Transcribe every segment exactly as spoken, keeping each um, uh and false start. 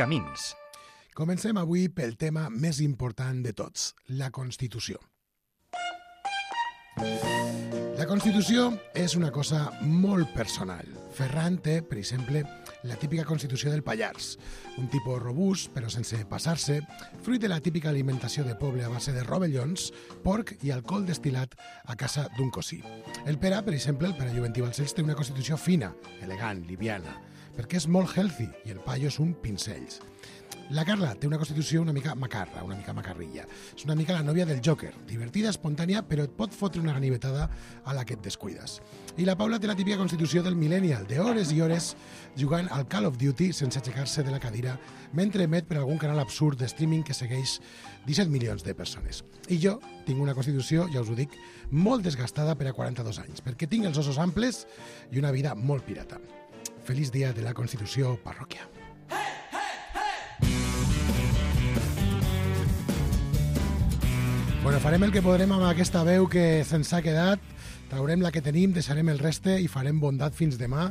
Camins. Comencem avui pel tema més important de tots, la Constitució. La Constitució és una cosa molt personal. Ferran té, per exemple, la típica Constitució del Pallars, un tipus robust, però sense passar-se, fruit de la típica alimentació de poble a base de rovellons, porc i alcohol destil·lat a casa d'un cosí. El Pere, per exemple, el Pere Juventí Balcells, té una Constitució fina, elegant, liviana, perquè és molt healthy i el paio és un pincells. La Carla té una Constitució una mica macarra, una mica macarrilla. És una mica la nòvia del Joker, divertida, espontània, però et pot fotre una ganivetada a la que et descuides. I la Paula té la típica Constitució del millennial, de hores i hores jugant al Call of Duty sense aixecar-se de la cadira, mentre emet per algun canal absurd de streaming que segueix disset milions de persones. I jo tinc una Constitució, ja us ho dic, molt desgastada per a quaranta-dos anys, perquè tinc els ossos amples i una vida molt pirata. Feliç dia de la Constitució, parròquia. Bueno, farem el que podrem amb aquesta veu que se'ns ha quedat, traurem la que tenim, deixarem el reste i farem bondat fins demà.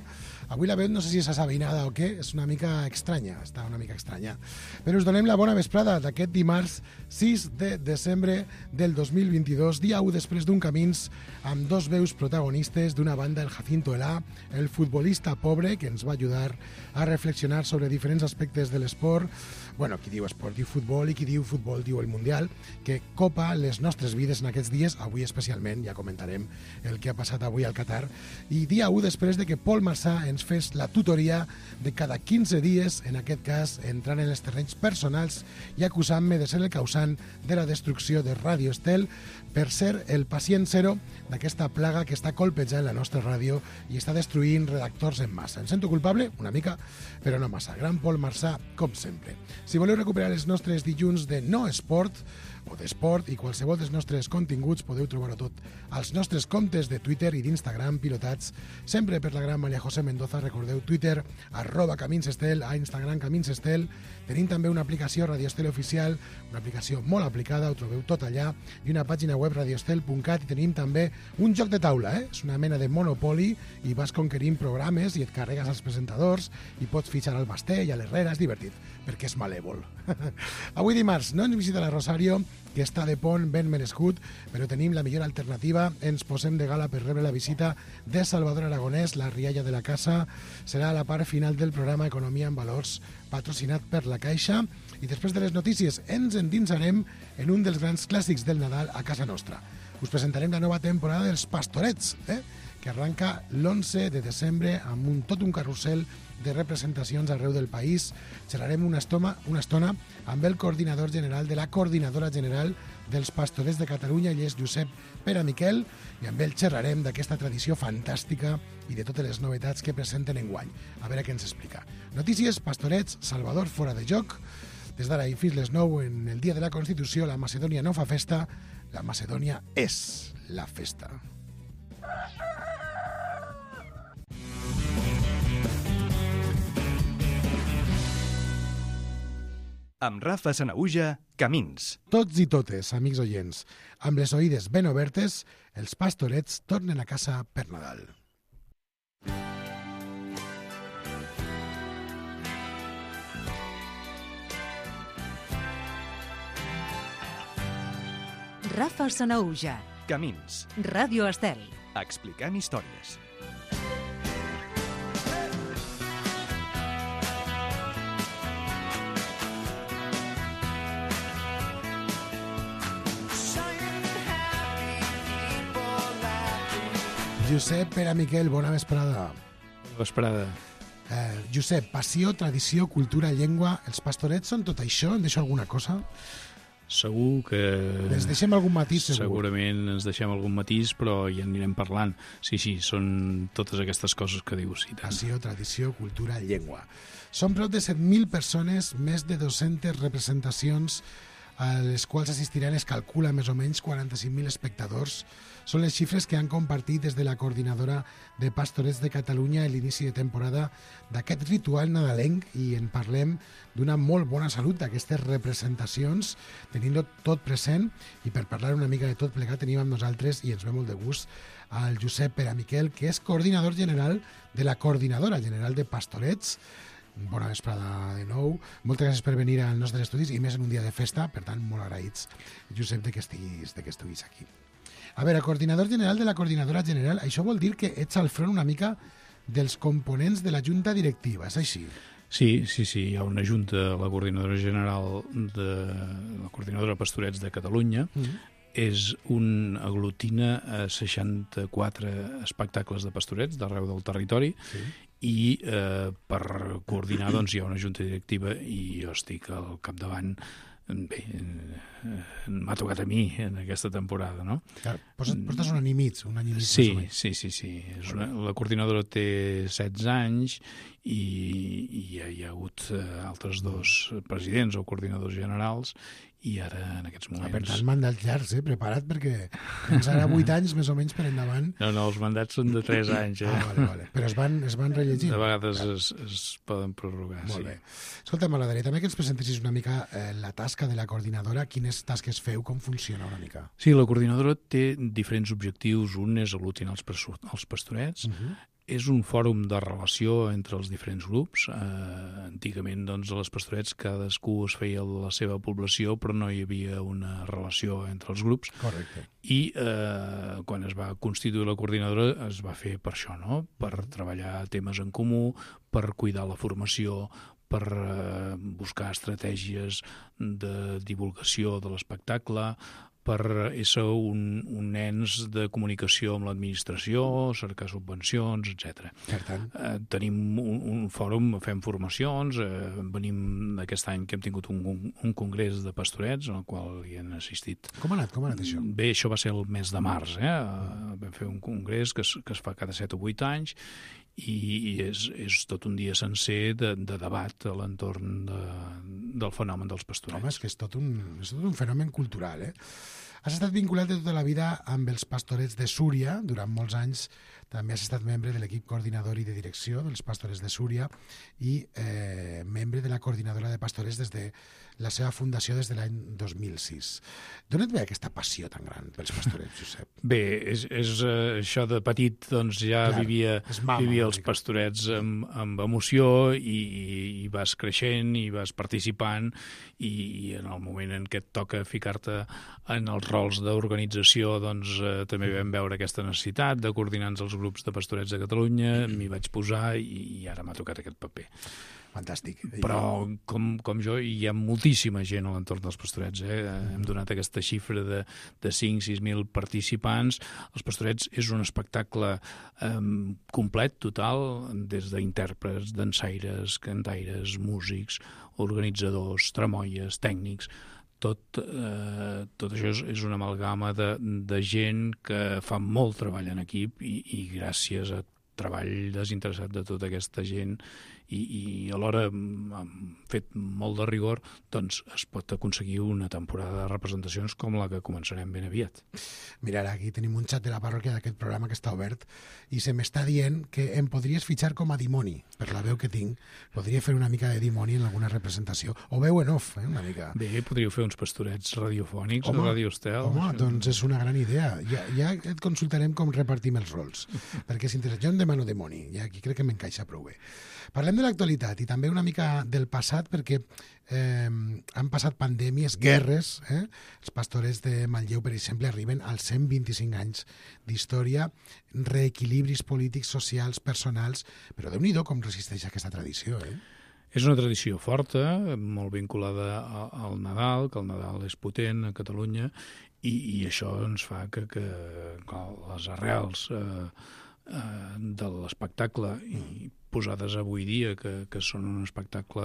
Avui la veu no sé si és assabenada o què, és una mica estranya, està una mica estranya. Però us donem la bona vesprada d'aquest dimarts sis de desembre del dos mil vint-i-dos, dia u després d'un Camins, amb dos veus protagonistes, d'una banda el Jacinto Elà, el futbolista pobre, que ens va ajudar a reflexionar sobre diferents aspectes de l'esport. Bueno, qui diu esport diu futbol i qui diu futbol diu el Mundial, que copa les nostres vides en aquests dies, avui especialment, ja comentarem el que ha passat avui al Qatar, i dia u després de que Pol Marsà ens fes la tutoria de cada quinze dies, en aquest cas entrant en els terrenys personals i acusant-me de ser el causant de la destrucció de Ràdio Estel per ser el pacient zero d'aquesta plaga que està colpejant la nostra ràdio i està destruint redactors en massa. Em sento culpable? Una mica, però no massa. Gran Pol Marsà, com sempre. Si voleu recuperar els nostres dilluns de no esport o d'esport i qualsevol dels nostres continguts, podeu trobar-ho tot als nostres comptes de Twitter i d'Instagram pilotats sempre per la gran Maria José Mendoza. Recordeu Twitter, arroba Caminsestel, a Instagram Caminsestel. Tenim també una aplicació Radio Estel Oficial, una aplicació molt aplicada, ho trobeu tot allà, i una pàgina web radioestel punt cat, i tenim també un joc de taula, eh? És una mena de Monopoly i vas conquerint programes i et carregues als presentadors i pots fitxar al Basté i a l'Herrera, és divertit, perquè és malèvol. Avui dimarts no ens visita la Rosario, que està de pont ben merescut, però tenim la millor alternativa. Ens posem de gala per rebre la visita de Salvador Aragonès, la rialla de la casa. Serà la part final del programa Economia en Valors, patrocinat per la Caixa. I després de les notícies ens endinsarem en un dels grans clàssics del Nadal a casa nostra. Us presentarem la nova temporada dels Pastorets, eh? que arranca l'onze de desembre amb un, tot un carrusel de representacions arreu del país. Xerrarem una estona, una estona amb el coordinador general de la Coordinadora General dels Pastorets de Catalunya, ell és Josep Pere Miquel, i amb ell xerrarem d'aquesta tradició fantàstica i de totes les novetats que presenten enguany. A veure què ens explica. Notícies, Pastorets, Salvador fora de joc. Des d'ara i fins les nou, en el dia de la Constitució, la Macedònia no fa festa, la Macedònia és la festa. Amb Rafa Sanaüja, Camins. Tots i totes, amics oients, amb les oïdes ben obertes, els Pastorets tornen a casa per Nadal. Rafa Sanaüja, Camins. Ràdio Estel. Explicant històries. Josep Pere Miquel, bona vesprada. Bona vesprada. Eh, Josep, passió, tradició, cultura, llengua... Els Pastorets són tot això? Em deixo alguna cosa? Segur que... Ens deixem algun matís, segur. Segurament ens deixem algun matís, però ja anirem parlant. Sí, sí, són totes aquestes coses que dius. I tant. Passió, tradició, cultura, llengua. Són prop de set mil persones, més de dues-centes representacions a les quals assistiran, es calcula més o menys quaranta-cinc mil espectadors. Són les xifres que han compartit des de la Coordinadora de Pastorets de Catalunya a l'inici de temporada d'aquest ritual nadalenc, i en parlem d'una molt bona salut d'aquestes representacions, tenint-ho tot present. I per parlar una mica de tot plegat tenim amb nosaltres, i ens ve molt de gust, al Josep Pere Miquel, que és coordinador general de la Coordinadora General de Pastorets. bona vesprada de nou. Moltes gràcies per venir als nostres estudis i més en un dia de festa, per tant, molt agraïts, Josep, de que estiguis, de que estiguis aquí. A veure, coordinador general de la Coordinadora General, això vol dir que ets al front una mica dels components de la Junta Directiva, és així? Sí, sí, sí, hi ha una junta, la Coordinadora General de la Coordinadora Pastorets de Catalunya, mm-hmm. és un aglutina a seixanta-quatre espectacles de pastorets d'arreu del territori, sí. i eh, per coordinar doncs, hi ha una junta directiva i jo estic al capdavant. Bé, eh, m'ha tocat a mi en aquesta temporada, no? Clar, portes un any i mig, un any i mig. Sí, sí, sí, sí. És una, la coordinadora té setze anys i, i hi ha, hi ha hagut eh, altres dos presidents o coordinadors generals i ara, en aquests moments... Ah, per tant, mandats llargs, eh? Prepara't, perquè tens ara vuit anys més o menys per endavant. No, no, els mandats són de tres anys, eh? Ah, vale, vale. Però es van, es van rellegint. De vegades es, es poden prorrogar, Molt sí. bé. Escolta, m'agradaria també que ens presentessis una mica eh, la tasca de la coordinadora, quines tasques feu, com funciona una mica. Sí, la coordinadora té diferents objectius. Un és aglutinar els, els pastorets, uh-huh. és un fòrum de relació entre els diferents grups. Eh, antigament, doncs, a les pastorets cadascú es feia la seva població, però no hi havia una relació entre els grups. Correcte. I eh, quan es va constituir la coordinadora es va fer per això, no? Per treballar temes en comú, per cuidar la formació, per eh, buscar estratègies de divulgació de l'espectacle, per ésser un, un ens de comunicació amb l'administració, cercar subvencions, etcètera. Per tant. Eh, tenim un, un fòrum, fem formacions, eh, venim aquest any que hem tingut un, un, un congrés de pastorets en el qual hi han assistit. Com ha anat, com ha anat això? Bé, això va ser el mes de març, eh? Vam fer un congrés que es, que es fa cada set o vuit anys i és, és tot un dia sencer de, de debat a l'entorn de, del fenomen dels pastorets. Home, és que és tot un, és tot un fenomen cultural, eh? Has estat vinculat de tota la vida amb els pastorets de Súria, durant molts anys també has estat membre de l'equip coordinador i de direcció dels pastorets de Súria i eh, membre de la coordinadora de pastorets des de la seva fundació des de l'any dos mil sis. D'on et ve aquesta passió tan gran pels pastorets, Josep? Bé, és, és uh, això de petit, doncs ja Clar, vivia, mama, vivia els pastorets amb, amb emoció i, i vas creixent i vas participant i, i en el moment en què et toca ficar-te en els rols d'organització, doncs uh, també vam veure aquesta necessitat de coordinar els grups de pastorets de Catalunya, m'hi vaig posar i, i ara m'ha tocat aquest paper. Fantàstic. Però, com, com jo, hi ha moltíssima gent a l'entorn dels pastorets. Eh? Hem donat aquesta xifra de, de cinc a sis mil participants. Els pastorets és un espectacle eh, complet, total, des d'intèrprets, dansaires, cantaires, músics, organitzadors, tramoies, tècnics. Tot, eh, tot això és, és una amalgama de, de gent que fa molt treball en equip i, i gràcies a treball desinteressat de tota aquesta gent i, i alhora amb fet molt de rigor, doncs es pot aconseguir una temporada de representacions com la que començarem ben aviat. Mira, ara aquí tenim un xat de la parròquia d'aquest programa que està obert i se m'està dient que em podries fitxar com a dimoni, per la veu que tinc. Podria fer una mica de dimoni en alguna representació. O veu en off, eh, una mica. Bé, podríeu fer uns pastorets radiofònics home, o Radio Estel. Home, això. Doncs és una gran idea. Ja, ja et consultarem com repartim els rols, perquè és interessant. Jo em demano dimoni, i aquí crec que m'encaixa prou bé. Parlem de l'actualitat i també una mica del passat, perquè eh, han passat pandèmies, guerres. Eh? Els pastorets de Manlleu, per exemple, arriben als cent vint-i-cinc anys d'història, reequilibris polítics, socials, personals, però Déu-n'hi-do com resisteix aquesta tradició. Eh? És una tradició forta, molt vinculada al Nadal, que el Nadal és potent a Catalunya, i, i això ens fa que, que, que les arrels eh, eh, de l'espectacle i posades avui dia, que, que són un espectacle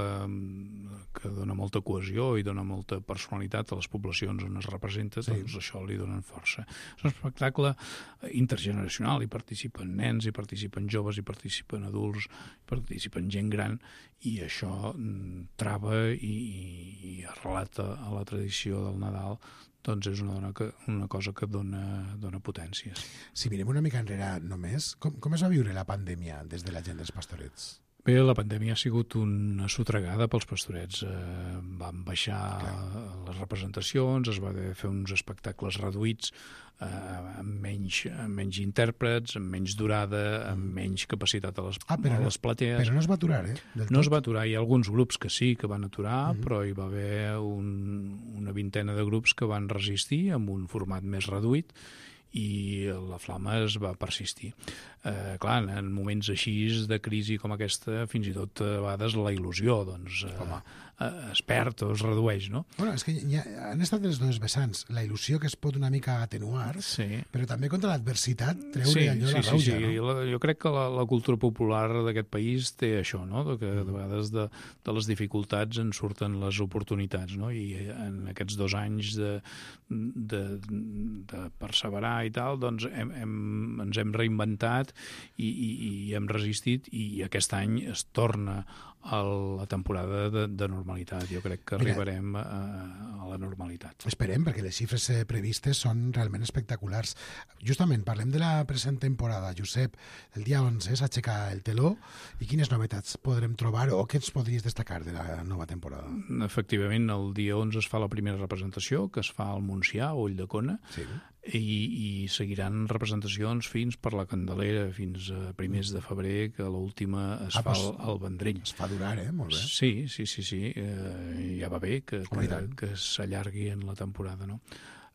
que dona molta cohesió i dona molta personalitat a les poblacions on es representa, sí. Doncs això li donen força. És un espectacle intergeneracional, hi participen nens, hi participen joves, hi participen adults, hi participen gent gran, i això trava i, i arrelat a la tradició del Nadal, doncs és una, dona que, una cosa que dona, dona potències. Si mirem una mica enrere només, com, com es va viure la pandèmia des de la gent dels pastorets? Bé, la pandèmia ha sigut una sotregada pels Pastorets. Eh, van baixar Clar. les representacions, es va haver de fer uns espectacles reduïts, eh, amb, menys, amb menys intèrprets, amb menys durada, amb menys capacitat a les, ah, a les no, platees. Però no es va aturar, eh? Del no tot. es va aturar. Hi ha alguns grups que sí que van aturar, uh -huh. però hi va haver un, una vintena de grups que van resistir amb un format més reduït, i la flama es va persistir. Eh, clar, en moments així de crisi com aquesta, fins i tot a vegades la il·lusió doncs, eh, es perd o es redueix, no? Bueno, és que ja han estat les dues vessants. La il·lusió que es pot una mica atenuar, sí. però també contra l'adversitat treure sí, allò sí, la rauja, sí, sí. no? La, jo crec que la, la cultura popular d'aquest país té això, no? De que de vegades de, de les dificultats en surten les oportunitats, no? I en aquests dos anys de, de, de perseverar i tal, doncs hem, hem, ens hem reinventat i, i, i hem resistit, i aquest any es torna a la temporada de, de normalitat. Jo crec que arribarem Mira, a, a la normalitat. Esperem, perquè les xifres previstes són realment espectaculars. Justament, parlem de la present temporada. Josep, el dia onze s'aixeca el teló, i quines novetats podrem trobar o què ens podries destacar de la nova temporada? Efectivament, el dia onze es fa la primera representació, que es fa al Montsià, a Ulldecona, sí. I, i seguiran representacions fins per la Candelera, fins a primers de febrer, que l'última es ah, fa al, al Vendrell. Es fa durar, eh? Molt bé. Sí, sí, sí, sí. Eh, ja va bé que, que, que s'allargui en la temporada, no?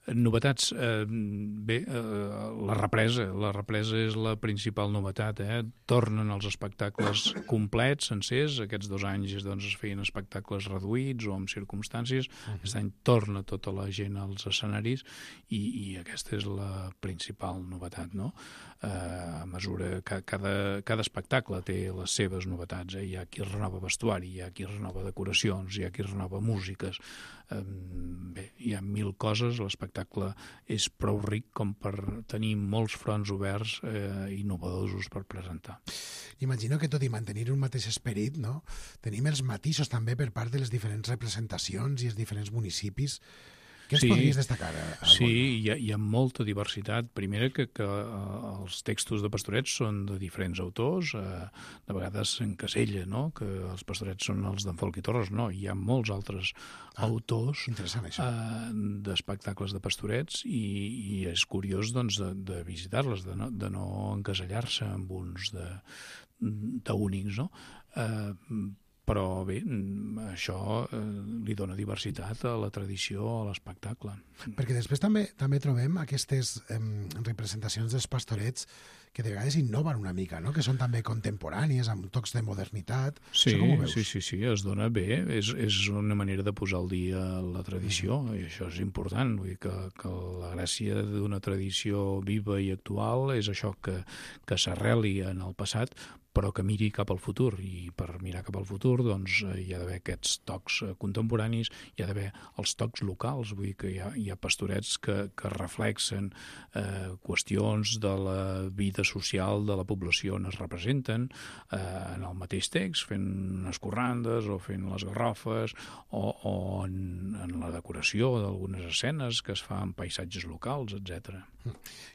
Novetats, eh, bé, eh, la represa, la represa és la principal novetat, eh? Tornen els espectacles complets, sencers, aquests dos anys doncs, es feien espectacles reduïts o amb circumstàncies, uh-huh. Aquest any torna tota la gent als escenaris i, i aquesta és la principal novetat, no? Eh, a mesura que cada, cada espectacle té les seves novetats, eh? Hi ha qui renova vestuari, hi ha qui renova decoracions, hi ha qui renova músiques, eh, bé, hi ha mil coses, l'espectacle és prou ric com per tenir molts fronts oberts eh, innovadors per presentar. Imagino que tot i mantenir un mateix esperit, no? Tenim els matisos també per part de les diferents representacions i els diferents municipis. Què ens sí, podries destacar? Sí, hi ha, hi ha molta diversitat. Primera, que, que els textos de Pastorets són de diferents autors, eh, de vegades s'encasella, no?, que els Pastorets són els d'en Folch i Torres. No, hi ha molts altres ah, autors eh, d'espectacles de Pastorets i, i és curiós doncs, de, de visitar-les, de no, de no encasellar-se amb uns d'únics, no? Eh, però bé, això eh, li dona diversitat a la tradició, a l'espectacle. Perquè després també també trobem aquestes eh, representacions dels Pastorets que de vegades innoven una mica, no? Que són també contemporànies, amb tocs de modernitat. Sí, sí, sí, sí, es dona bé. És, és una manera de posar al dia la tradició, mm. i això és important. Vull dir que, que la gràcia d'una tradició viva i actual és això, que, que s'arreli en el passat, però que miri cap al futur, i per mirar cap al futur doncs, hi ha d'haver aquests tocs contemporanis, hi ha d'haver els tocs locals, vull dir que hi ha, hi ha pastorets que, que reflexen eh, qüestions de la vida social de la població on es representen eh, en el mateix text, fent unes corrandes o fent les garrofes o, o en, en la decoració d'algunes escenes que es fa en paisatges locals, etcètera.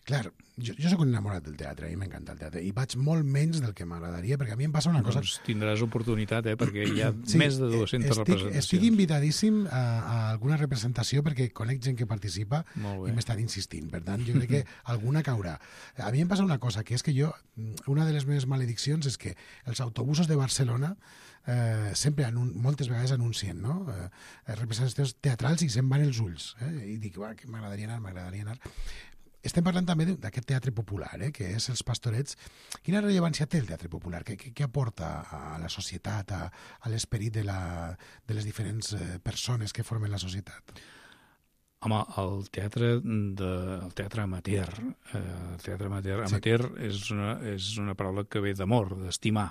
Clar, jo, jo soc un enamorat del teatre, a mi m'encanta el teatre, i vaig molt menys del que m'agradaria, perquè a mi em passa una cosa... Doncs tindràs oportunitat, eh? Perquè hi ha sí, més de dues-centes estic, representacions. Estic invitadíssim a, a alguna representació perquè conec gent que participa i m'estan insistint, per tant, jo crec que alguna caurà. A mi em passa una cosa, que és que jo, una de les meves malediccions és que els autobusos de Barcelona Eh, sempre anun moltes vegades anuncien, no? Eh, representacions teatrals i se'n van els ulls, eh? I dic, va, que m'agradaria anar, m'agradaria anar. Estem parlant també d'aquest teatre popular, eh, que és els Pastorets. Quina rellevància té el teatre popular? Què, què, què aporta a la societat, a, a l'esperit de, la, de les diferents eh, persones que formen la societat? Home, el teatre, de, el teatre amateur, eh, el teatre amateur, sí. amateur és, una, és una paraula que ve d'amor, d'estimar.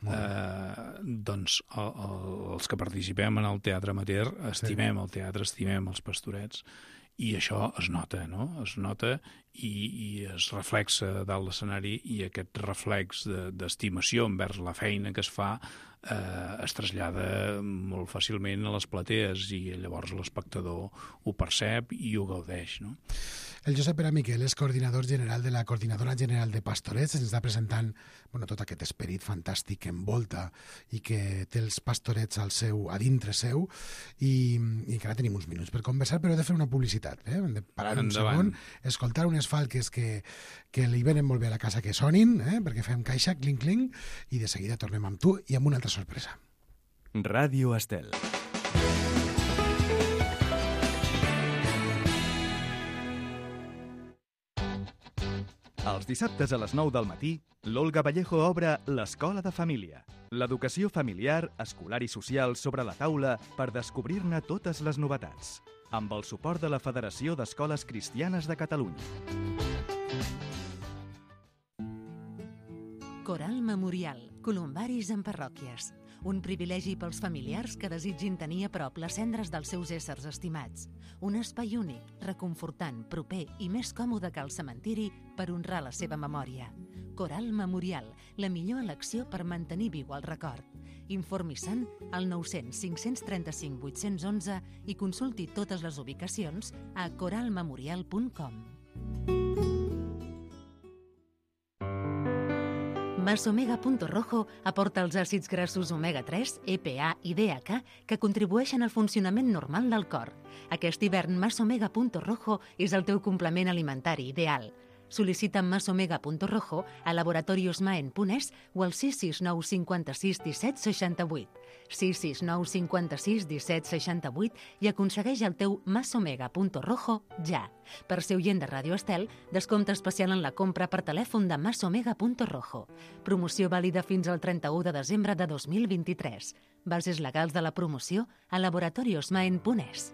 Eh, doncs el, el, els que participem en el teatre amateur estimem sí. el teatre, estimem els Pastorets, i això es nota, no? Es nota i, i es reflexa dalt l'escenari, i aquest reflex d'estimació envers la feina que es fa eh, es trasllada molt fàcilment a les platees i llavors l'espectador ho percep i ho gaudeix, no? El Josep Pere Miquel és coordinador general de la Coordinadora General de Pastorets, ens està presentant bueno, tot aquest esperit fantàstic que envolta i que té els pastorets al seu, a dintre seu, i, i encara tenim uns minuts per conversar, però he de fer una publicitat, eh? Hem de parar un Endavant. segon, escoltar unes falques que, que li venen molt bé a la casa que sonin, eh? Perquè fem caixa, clinc, clinc, i de seguida tornem amb tu i amb una altra sorpresa. Ràdio Estel. Els dissabtes a les nou del matí, l'Olga Vallejo obre l'Escola de Família. L'educació familiar, escolar i social sobre la taula per descobrir-ne totes les novetats. Amb el suport de la Federació d'Escoles Cristianes de Catalunya. Coral Memorial, columbaris en parròquies. Un privilegi pels familiars que desitgin tenir a prop les cendres dels seus éssers estimats. Un espai únic, reconfortant, proper i més còmode que el cementiri per honrar la seva memòria. Coral Memorial, la millor elecció per mantenir viu el record. Informi-se'n al nou cents cinc cents trenta-cinc vuit-cents onze i consulti totes les ubicacions a coral memorial punt com. Masomega.rojo aporta els àcids grassos omega tres, E P A i D H que contribueixen al funcionament normal del cor. Aquest hivern Masomega.rojo és el teu complement alimentari ideal. Sol·licita Masomega.rojo a laboratorios maen punt es o al sis sis nou cinquanta-sis disset seixanta-vuit. sis sis nou cinquanta-sis disset seixanta-vuit i aconsegueix el teu Masomega.rojo ja. Per ser oient de Ràdio Estel, descompte especial en la compra per telèfon de Masomega.rojo. Promoció vàlida fins al trenta-u de desembre de dos mil vint-i-tres. Bases legals de la promoció a laboratorios maen punt es.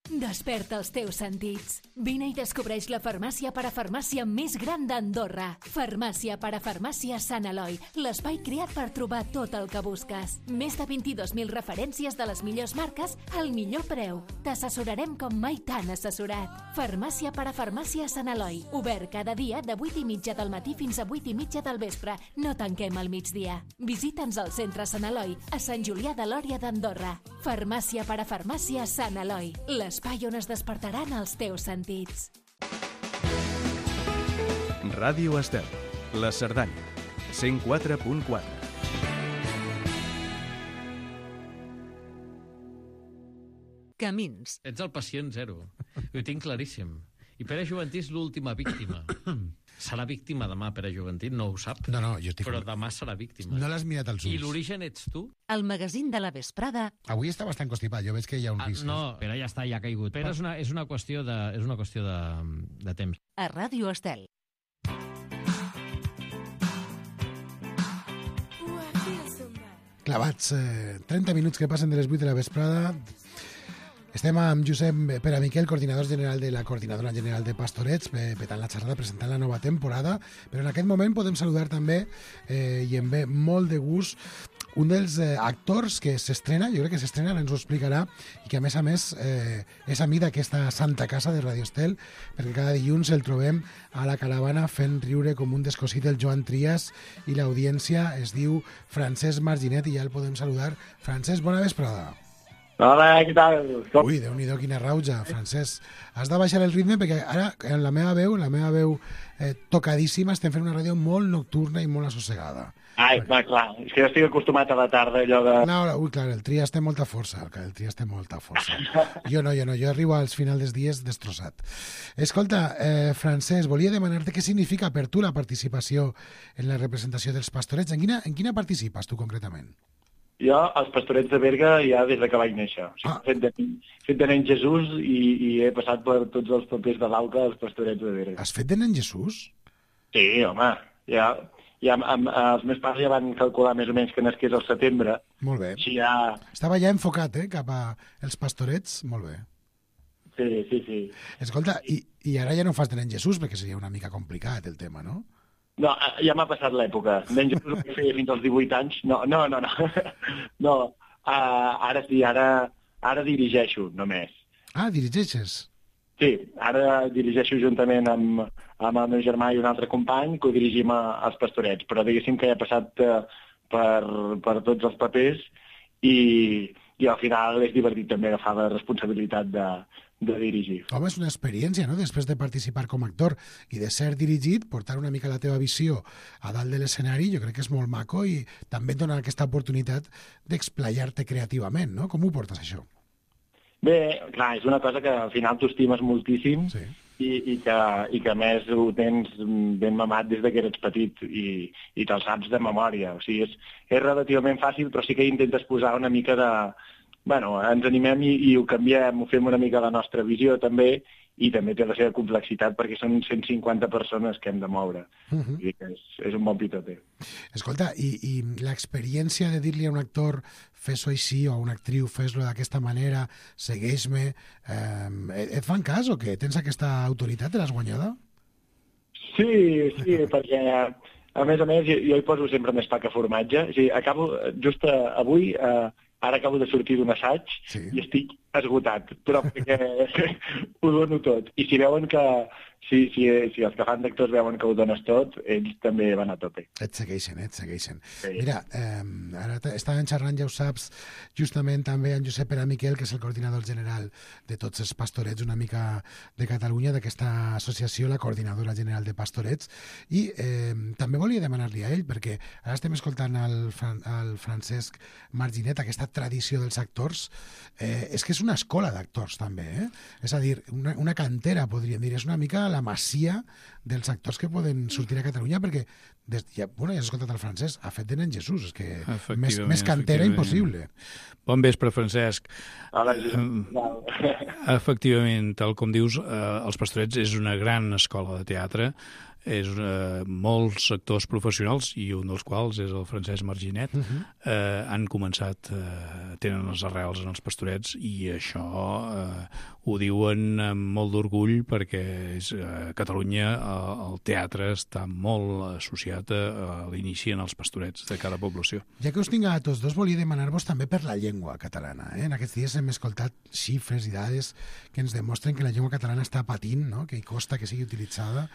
Desperta els teus sentits. Vine i descobreix la farmàcia parafarmàcia més gran d'Andorra. Farmàcia parafarmàcia Sant Eloi, l'espai creat per trobar tot el que busques. Més de vint-i-dos mil referències de les millors marques al millor preu. T'assessorarem com mai t'han assessorat. Farmàcia parafarmàcia Sant Eloi, obert cada dia de vuit i mitja del matí fins a vuit i mitja del vespre. No tanquem al migdia. Visita'ns al centre Sant Eloi, a Sant Julià de Lòria d'Andorra. Farmàcia parafarmàcia Sant Eloi, l'espai on es despertaran els teus sentits. Ràdio Estel, la Cerdanya, cent quatre punt quatre. Camins. Ets el pacient zero. Ho tinc claríssim. I Pere Juventí és l'última víctima. Serà víctima demà, Pere Juventí, no ho sap. No, no, jo estic... Però demà serà víctima. No l'has mirat als ulls. I l'origen ets tu? El magazín de la vesprada. Avui està bastant constipat, jo veig que hi ha un Ah, risc. no, Pere ja està, ja ha caigut. Pere és una, és una qüestió, de, és una qüestió de, de temps. A Ràdio Estel. Clavats, eh, trenta minuts que passen de les vuit de la vesprada. Estem amb Josep Pere Miquel, coordinador general de la Coordinadora General de Pastorets, petant la xerrada, presentant la nova temporada, però en aquest moment podem saludar també, eh, i em ve molt de gust, un dels eh, actors que s'estrena, jo crec que s'estrena, ens ho explicarà, i que a més a més eh, és amic d'aquesta santa casa de Radio Estel, perquè cada dilluns el trobem a la caravana fent riure com un descosit el Joan Trias, i l'audiència es diu Francesc Marginet, i ja el podem saludar. Francesc, bona vesprada. Hola, què tal? Com? Ui, Déu-n'hi-do, quina rauja, Francesc. Has de baixar el ritme perquè ara, en la meva veu, la meva veu eh, tocadíssima, estem fent una ràdio molt nocturna i molt assossegada. Ai, va, clar, és que jo estic acostumat a la tarda, allò de... No, ui, clar, el Trias té molta força, el Trias té molta força. Jo no, jo no, jo arribo als finals dels dies destrossat. Escolta, eh, Francesc, volia demanar-te què significa per tu la participació en la representació dels Pastorets. En quina, en quina participes tu concretament? Jo, als Pastorets de Berga, ja des de que vaig néixer. O sigui, Ah. fet, de, fet de nen Jesús i, i he passat per tots els papers de l'Alca als Pastorets de Berga. Has fet de nen Jesús? Sí, home, ja, ja amb, amb, els meus pares ja van calcular més o menys que nasqués al setembre. Molt bé. Així ja... Estava ja enfocat, eh, cap a els Pastorets. Molt bé. Sí, sí, sí. Escolta, i, i ara ja no fas de nen Jesús, perquè seria una mica complicat el tema, no? No, ja m'ha passat l'època. Nen Jesús ho vaig fer fins als divuit anys. No, no, no, no. No, uh, ara sí, ara, ara dirigeixo, només. Ah, dirigeixes. Sí, ara dirigeixo juntament amb, amb el meu germà i un altre company, que ho dirigim a, als Pastorets, però diguéssim que ja he passat eh, per, per tots els papers i, i al final és divertit també agafar la responsabilitat de, de dirigir. Home, és una experiència, no?, després de participar com a actor i de ser dirigit, portar una mica la teva visió a dalt de l'escenari, jo crec que és molt maco i també et dona aquesta oportunitat d'explayar-te creativament, no? Com ho portes, això? Bé, clar, és una cosa que al final tu estimes moltíssim Sí. i, i, que, i que a més ho tens ben mamat des de que eres petit i, i te'l saps de memòria. O sigui, és, és relativament fàcil, però sí que intentes posar una mica de... Bueno, ens animem i, i ho canviem, ho fem una mica la nostra visió també, i també té la seva complexitat perquè són cent cinquanta persones que hem de moure. Uh -huh. Vull dir que és, és un bon pitoter. Escolta, i, i l'experiència de dir-li a un actor fes-ho així, o a una actriu fes-lo d'aquesta manera, segueix-me, eh, et fan cas o què? Tens aquesta autoritat, te l'has guanyada? Sí, sí, perquè a més a més jo, jo hi poso sempre més pa que formatge. O sigui, acabo, just uh, avui, uh, ara acabo de sortir d'un assaig Sí. i estic esgotat, però perquè ho dono tot. I si veuen que, si, si, si els que fan d'actors veuen que ho dones tot, ells també van a tope. Et segueixen, eh? et segueixen. Sí. Mira, eh, ara estàvem xerrant, ja ho saps, justament també amb Josep Pere Miquel, que és el coordinador general de tots els pastorets una mica de Catalunya, d'aquesta associació, la Coordinadora General de Pastorets, i eh, també volia demanar-li a ell, perquè ara estem escoltant el, Fran el Francesc Marginet, aquesta tradició dels actors, eh, és que és una escola d'actors també, eh? És a dir, una, una cantera, podríem dir, és una mica la masia dels actors que poden sortir a Catalunya, perquè des, ja, bueno, ja has escoltat el Francesc, ha fet de nen Jesús, és que més, més cantera impossible. Bon vespre, Francesc. Hola, eh, efectivament, tal com dius, eh, els Pastorets és una gran escola de teatre, és eh, molts actors professionals, i un dels quals és el Francesc Marginet, uh -huh. eh, han començat, eh, tenen les arrels en els Pastorets, i això eh, ho diuen amb molt d'orgull, perquè és, eh, a Catalunya eh, el teatre està molt associat a, a l'inici en els Pastorets de cada població. Ja que us tinc a tots dos, volia demanar-vos també per la llengua catalana. Eh? En aquests dies hem escoltat xifres i dades que ens demostren que la llengua catalana està patint, no? Que hi costa que sigui utilitzada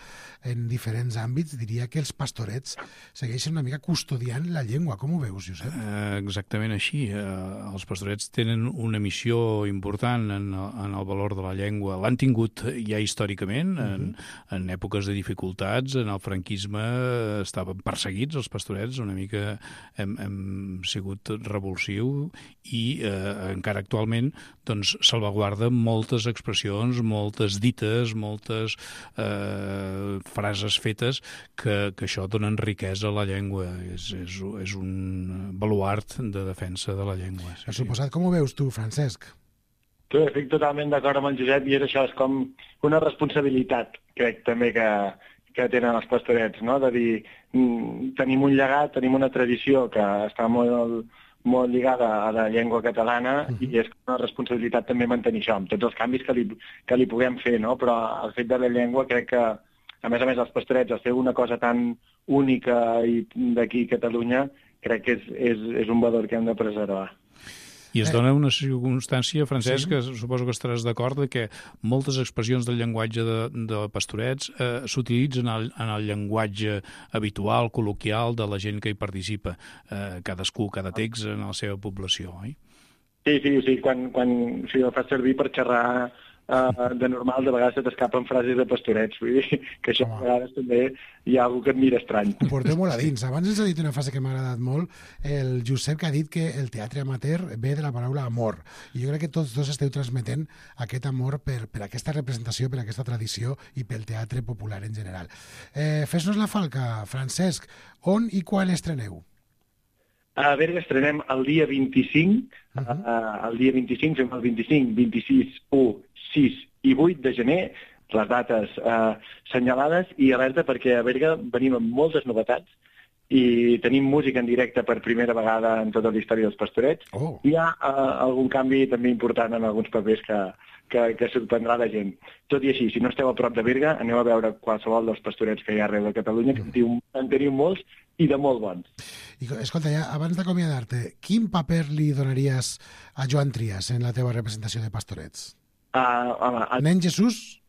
en diferents àmbits. Diria que els Pastorets segueixen una mica custodiant la llengua. Com ho veus, Josep? Eh, exactament així. Eh, els Pastorets tenen una missió important en, en el valor de la llengua. L'han tingut ja històricament, uh-huh. en, en èpoques de dificultats. En el franquisme estaven perseguits els Pastorets, una mica hem, hem sigut revulsiu, i eh, encara actualment doncs, salvaguarda moltes expressions, moltes dites, moltes eh, frases fetes que, que això donen riquesa a la llengua. És, és, és un baluart de defensa de la llengua. Sí, Per suposat, com ho veus tu, Francesc? Tu, estic totalment d'acord amb el Josep, i és això, és com una responsabilitat, crec també que, que tenen els Pastorets, no? De dir, mm, tenim un llegat, tenim una tradició que està molt, molt lligada a la llengua catalana, uh-huh. i és una responsabilitat també mantenir això, amb tots els canvis que li, que li puguem fer, no? Però el fet de la llengua crec que, a més a més, els Pastorets, al fer una cosa tan única i d'aquí a Catalunya, crec que és, és, és un valor que hem de preservar. I es dona una circumstància, Francesc, Sí. que suposo que estaràs d'acord, de que moltes expressions del llenguatge de, de Pastorets eh, s'utilitzen en, en el llenguatge habitual, col·loquial, de la gent que hi participa, eh, cadascú, cada text en la seva població, oi? Sí, sí, sí, quan, quan si ho fas servir per xerrar uh, de normal, de vegades se t'escapen frases de Pastorets, vull dir que això a vegades també hi ha algú que et mira estrany. Ho porteu molt a dins. Abans ens ha dit una frase que m'ha agradat molt, el Josep, que ha dit que el teatre amateur ve de la paraula amor. I jo crec que tots dos esteu transmetent aquest amor per, per aquesta representació, per aquesta tradició i pel teatre popular en general. Eh, Fes-nos la falca, Francesc. On i quan estreneu? A Berga estrenem el dia vint-i-cinc, Uh -huh. uh, el dia vint-i-cinc, fem el vint-i-cinc, vint-i-sis, u, sis i vuit de gener, les dates uh, senyalades, i alerta perquè a Berga venim amb moltes novetats i tenim música en directe per primera vegada en tota la història dels Pastorets. Oh. Hi ha uh, algun canvi també important en alguns papers que, que, que sorprendrà la gent. Tot i així, si no esteu a prop de Berga, aneu a veure qualsevol dels Pastorets que hi ha arreu de Catalunya, que en teniu, en teniu molts i de molt bons. I, escolta, ja, abans d'acomiadar-te, quin paper li donaries a Joan Trias en la teva representació de Pastorets? Uh, home, el, Nen Jesús?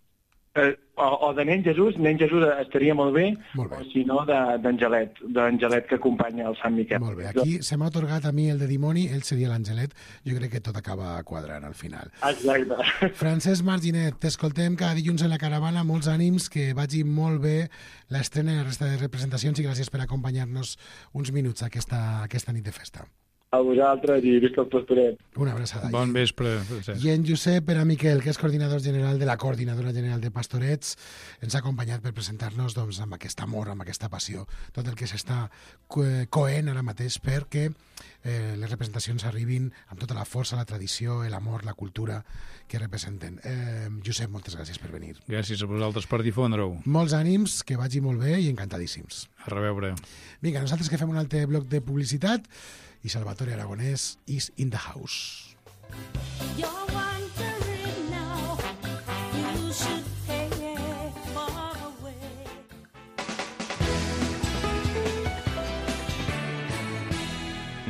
Eh, o, o de nen Jesús, nen Jesús estaria molt bé, molt bé. O si no d'Angelet, d'Angelet que acompanya el Sant Miquel. Molt bé, aquí se m'ha atorgat a mi el de dimoni, ell seria l'Angelet, jo crec que tot acaba quadrant al final. Exacte. Francesc Marginet, t'escoltem cada dilluns en la caravana, molts ànims, que vagi molt bé l'estrena i la resta de representacions i gràcies per acompanyar-nos uns minuts a aquesta, aquesta nit de festa. A vosaltres i visca el Pastoret. Una abraçada. Bon vespre. I en Josep Pere Miquel, que és coordinador general de la Coordinadora General de Pastorets, ens ha acompanyat per presentar-nos doncs, amb aquest amor, amb aquesta passió, tot el que s'està coent ara mateix perquè eh, les representacions arribin amb tota la força, la tradició, l'amor, la cultura que representen. Eh, Josep, moltes gràcies per venir. Gràcies a vosaltres per difondre-ho. Molts ànims, que vagi molt bé i encantadíssims. A reveure. Vinga, nosaltres que fem un altre bloc de publicitat i Salvatore Aragonès is in the house.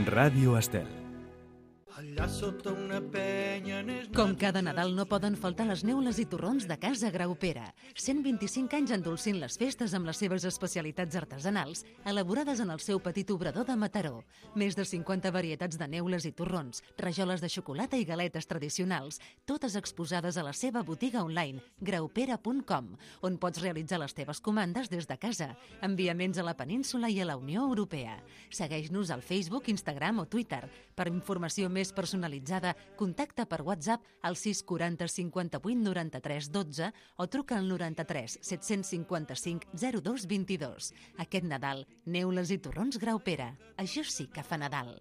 Ràdio Estel. Com cada Nadal no poden faltar les neules i torrons de Casa Graupera. cent vint-i-cinc anys endolcint les festes amb les seves especialitats artesanals, elaborades en el seu petit obrador de Mataró. Més de cinquanta varietats de neules i torrons, rajoles de xocolata i galetes tradicionals, totes exposades a la seva botiga online, graupera punt com, on pots realitzar les teves comandes des de casa, enviaments a la península i a la Unió Europea. Segueix-nos al Facebook, Instagram o Twitter. Per informació més personalitzada, contacta per WhatsApp al sis quaranta cinquanta-vuit noranta-tres dotze o truca al noranta-tres set-cents cinquanta-cinc zero dos vint-i-dos. Aquest Nadal, neules i torrons Graupera. Això sí que fa Nadal.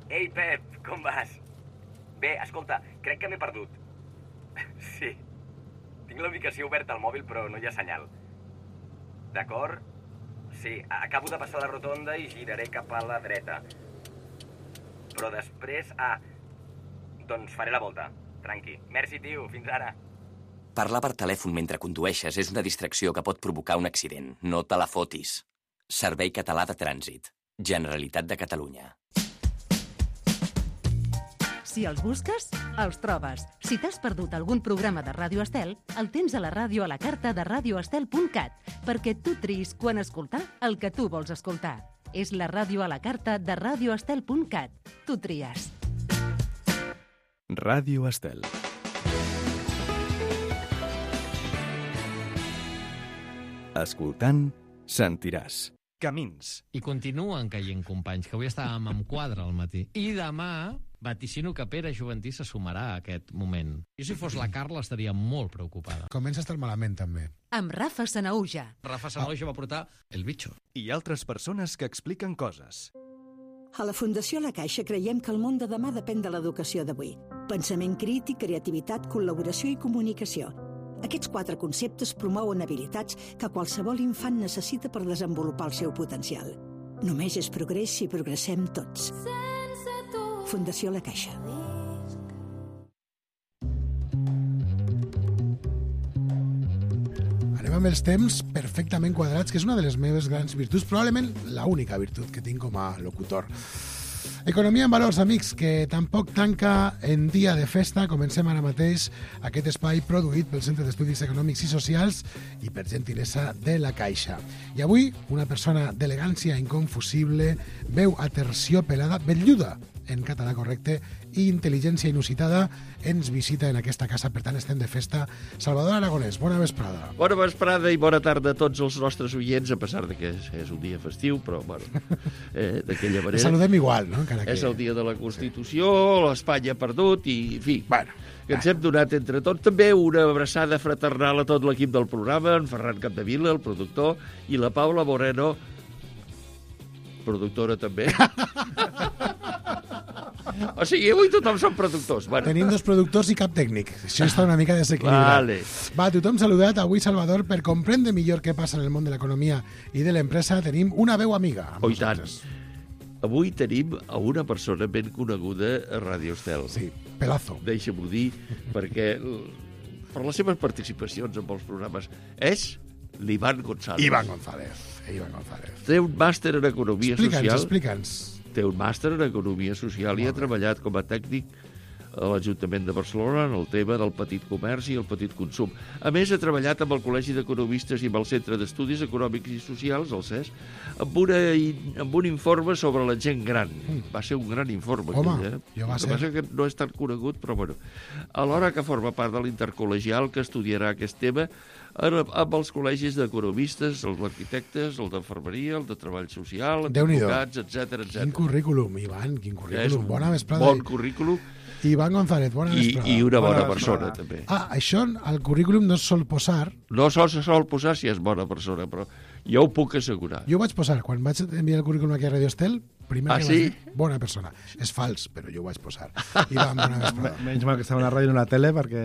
Ei, Pep, com vas? Bé, escolta, crec que m'he perdut. Sí, tinc la ubicació oberta al mòbil, però no hi ha senyal. D'acord? Sí, acabo de passar la rotonda i giraré cap a la dreta. Però després... Ah, doncs faré la volta. Tranqui. Merci, tio. Fins ara. Parlar per telèfon mentre condueixes és una distracció que pot provocar un accident. No te la fotis. Servei Català de Trànsit. Generalitat de Catalunya. Si els busques, els trobes. Si t'has perdut algun programa de Ràdio Estel, el tens a la ràdio a la carta de radio estel punt cat, perquè tu triïs quan escoltar el que tu vols escoltar. És la ràdio a la carta de radio estel punt cat. Tu tries. Ràdio Estel. Escoltant, sentiràs. Camins. I continuen caient companys, que avui estàvem amb quadre al matí. I demà vaticino que Pere Juventí se sumarà a aquest moment. Jo, si fos la Carla, estaria molt preocupada. Comença a estar malament, també. Amb Rafa Sanauja. Rafa Sanauja va portar El Bicho. I altres persones que expliquen coses. A la Fundació La Caixa creiem que el món de demà depèn de l'educació d'avui. Pensament crític, creativitat, col·laboració i comunicació. Aquests quatre conceptes promouen habilitats que qualsevol infant necessita per desenvolupar el seu potencial. Només és progrés si progressem tots. Fundació La Caixa. Anem amb els temps perfectament quadrats, que és una de les meves grans virtuts, probablement l'única virtut que tinc com a locutor. Economia en valors, amics, que tampoc tanca en dia de festa. Comencem ara mateix aquest espai produït pel Centre d'Estudis Econòmics i Socials i per gentilesa de La Caixa. I avui, una persona d'elegància inconfusible, veu aterciopelada, velluda, en català correcte, i intel·ligència inusitada, ens visita en aquesta casa. Per tant, estem de festa. Salvador Aragonès, bona vesprada. Bona vesprada i bona tarda a tots els nostres oients, a pesar de que és, és un dia festiu, però, bueno, eh, d'aquella manera... Saludem igual, no? Encara que... És el dia de la Constitució, l'Espanya ha perdut i, en fi, bueno, que ens hem donat entre tots. També una abraçada fraternal a tot l'equip del programa, en Ferran Capdevila, el productor, i la Paula Moreno, productora també. O sigui, avui tothom són productors. Bueno. Tenim dos productors i cap tècnic. Això està una mica desequilibrat. Vale. Va, tothom saludat. Avui, Salvador, per comprendre millor què passa en el món de l'economia i de l'empresa, tenim una veu amiga. Oh, i tant. Avui tenim a una persona ben coneguda a Ràdio Estel. Sí, Pelazo. Deixa-m'ho dir, perquè per les seves participacions en els programes és l'Ivan González. Ivan González. Ivan González. Té un màster en Economia explica'ns, Social. Explica'ns, Té un màster en Economia Social i ha treballat com a tècnic a l'Ajuntament de Barcelona en el tema del petit comerç i el petit consum. A més, ha treballat amb el Col·legi d'Economistes i amb el Centre d'Estudis Econòmics i Socials, el C E S, amb, una, amb un informe sobre la gent gran. Va ser un gran informe. Home, aquell, eh? jo va el que ser... passa que no és tan conegut, però bueno. Alhora que forma part de l'intercol·legial que estudiarà aquest tema amb els col·legis d'economistes, els arquitectes, el d'infermeria, el de treball social, advocats, etcètera, etcètera. Quin currículum, Ivan, quin currículum. És un bona vesprada. bon currículum. Ivan González, bona I, vesprada. I una bona, bona persona, vesprada. també. Ah, això al currículum no es sol posar. No sol se sol posar si és bona persona, però jo ho puc assegurar. Jo ho vaig posar, quan vaig enviar el currículum aquí a Radio Estel, primer ah, que sí? vaig dir, bona persona. És fals, però jo ho vaig posar. Ivan, bona vesprada. Menys mal que estava a la ràdio i no a la tele, perquè...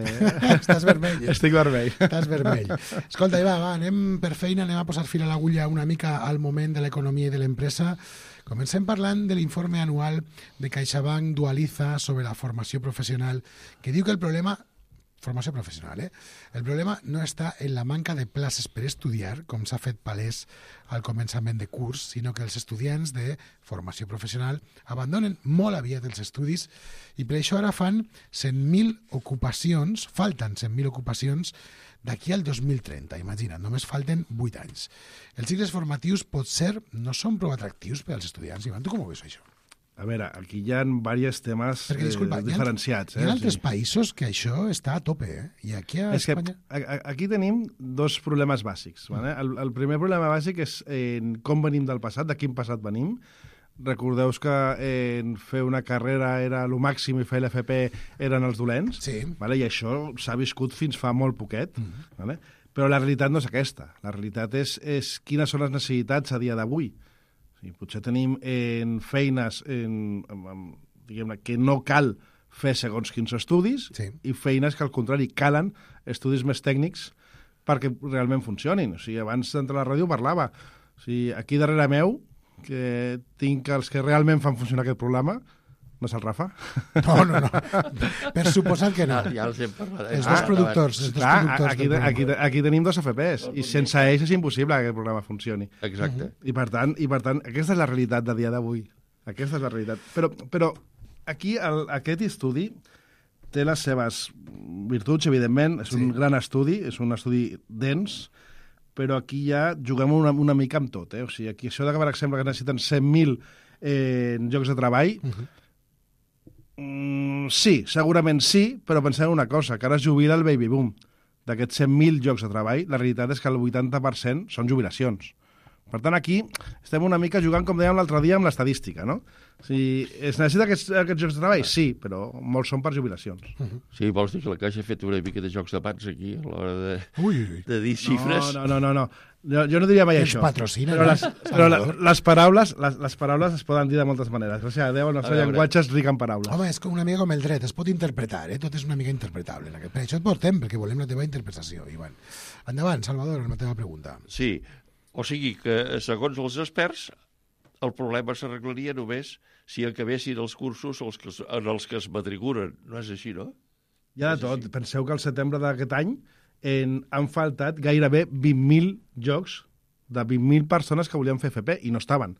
Estàs vermell. Estic vermell. Estàs vermell. Escolta, Ivan, va, anem per feina, anem a posar fil a l'agulla una mica al moment de l'economia i de l'empresa. Comencem parlant de l'informe anual de CaixaBank Dualiza sobre la formació professional, que diu que el problema, formació professional, eh? El problema no està en la manca de places per estudiar, com s'ha fet palès al començament de curs, sinó que els estudiants de formació professional abandonen molt aviat els estudis i per això ara fan cent mil ocupacions, falten cent mil ocupacions d'aquí al dos mil trenta, imagina't, només falten vuit anys. Els cicles formatius potser no són prou atractius per als estudiants. Ivan, tu com ho veus, això? A veure, aquí hi ha diversos temes Perquè, disculpa, eh, diferenciats. Hi ha, hi ha eh? altres sí. països que això està a tope, eh? I aquí a és Espanya... Que, a, aquí tenim dos problemes bàsics. Vale? El, el primer problema bàsic és eh, com venim del passat, de quin passat venim. Recordeu que eh, fer una carrera era el màxim i fer l'F P eren els dolents, sí. Vale? I això s'ha viscut fins fa molt poquet. Mm -hmm. Vale? Però la realitat no és aquesta. La realitat és, és quines són les necessitats a dia d'avui. Sí, potser tenim en feines en, en, en, diguem-ne, que no cal fer segons quins estudis sí. i feines que, al contrari, calen estudis més tècnics perquè realment funcionin. O sigui, abans d'entrar a la ràdio parlava. O sigui, aquí darrere meu, que tinc els que realment fan funcionar aquest programa, no és el Rafa? No, no, no. Per suposat que no. Ja, ja els hem parlat. Els dos productors. Els dos clar, productors aquí, aquí, aquí tenim dos F Ps i sense ells és impossible que aquest programa funcioni. Exacte. Uh -huh. I, per tant, I per tant, aquesta és la realitat de dia d'avui. Aquesta és la realitat. Però, però aquí el, aquest estudi té les seves virtuts, evidentment. És sí. un gran estudi, és un estudi dens, però aquí ja juguem una, una mica amb tot. Eh? O sigui, aquí això de que, per exemple, que necessiten cent mil eh, llocs de treball... Uh -huh. Mm, sí, segurament sí, però pensem una cosa, que ara es jubila el baby boom. D'aquests cent mil llocs de treball, la realitat és que el vuitanta per cent són jubilacions. Per tant, aquí estem una mica jugant, com dèiem l'altre dia, amb l'estadística, no? O sigui, es necessita aquests, aquests llocs de treball? Sí, però molts són per jubilacions. Sí, vols dir que la Caixa ha fet una mica de jocs de pats aquí, a l'hora de, ui, ui. de dir xifres? No, no, no, no. Jo, jo no diria mai Ens això. patrocina, però no? les, però la, les, paraules, les, les paraules es poden dir de moltes maneres. Gràcies a Déu, el nostre llenguatge és ric en paraules. Home, és com una mica com el dret, es pot interpretar, eh? Tot és una mica interpretable. Per això et portem, perquè volem la teva interpretació, Ivan. Endavant, Salvador, amb la teva pregunta. Sí, o sigui que, segons els experts, el problema s'arreglaria només si acabessin els cursos els que, en els que es matriculen. No és així, no? Hi ha de tot. Així. Penseu que al setembre d'aquest any en, han faltat gairebé vint mil jocs de vint mil persones que volien fer F P i no estaven.